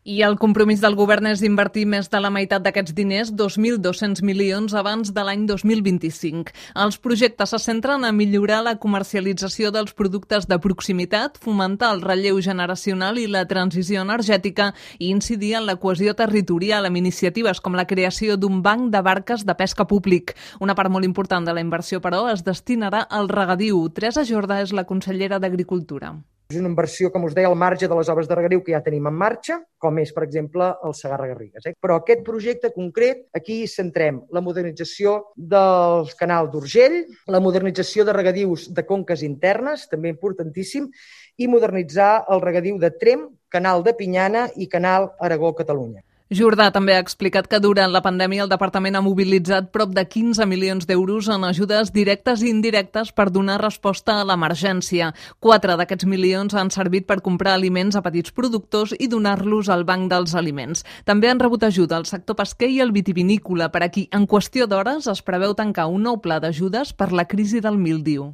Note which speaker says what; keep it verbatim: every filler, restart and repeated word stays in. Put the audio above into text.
Speaker 1: I el compromís del govern és invertir més de la meitat d'aquests diners, dos mil dos-cents milions, abans de l'any dos mil vint-i-cinc. Els projectes se centren a millorar la comercialització dels productes de proximitat, fomentar el relleu generacional i la transició energètica i incidir en la cohesió territorial amb iniciatives com la creació d'un banc de barques de pesca públic. Una part molt important de la inversió, però, es destinarà al regadiu. Teresa Jordà és la consellera d'Agricultura.
Speaker 2: És una inversió, com us deia, al marge de les obres de regadiu que ja tenim en marxa, com és, per exemple, el Segarra-Garrigues. Eh? Però aquest projecte concret, aquí centrem la modernització del canal d'Urgell, la modernització de regadius de conques internes, també importantíssim, i modernitzar el regadiu de Tremp, canal de Pinyana i canal Aragó-Catalunya.
Speaker 1: Jordà també ha explicat que durant la pandèmia el departament ha mobilitzat prop de quinze milions d'euros en ajudes directes i indirectes per donar resposta a l'emergència. Quatre d'aquests milions han servit per comprar aliments a petits productors i donar-los al Banc dels Aliments. També han rebut ajuda al sector pesquer i el vitivinícola, per a qui en qüestió d'hores es preveu tancar un nou pla d'ajudes per la crisi del míldiu.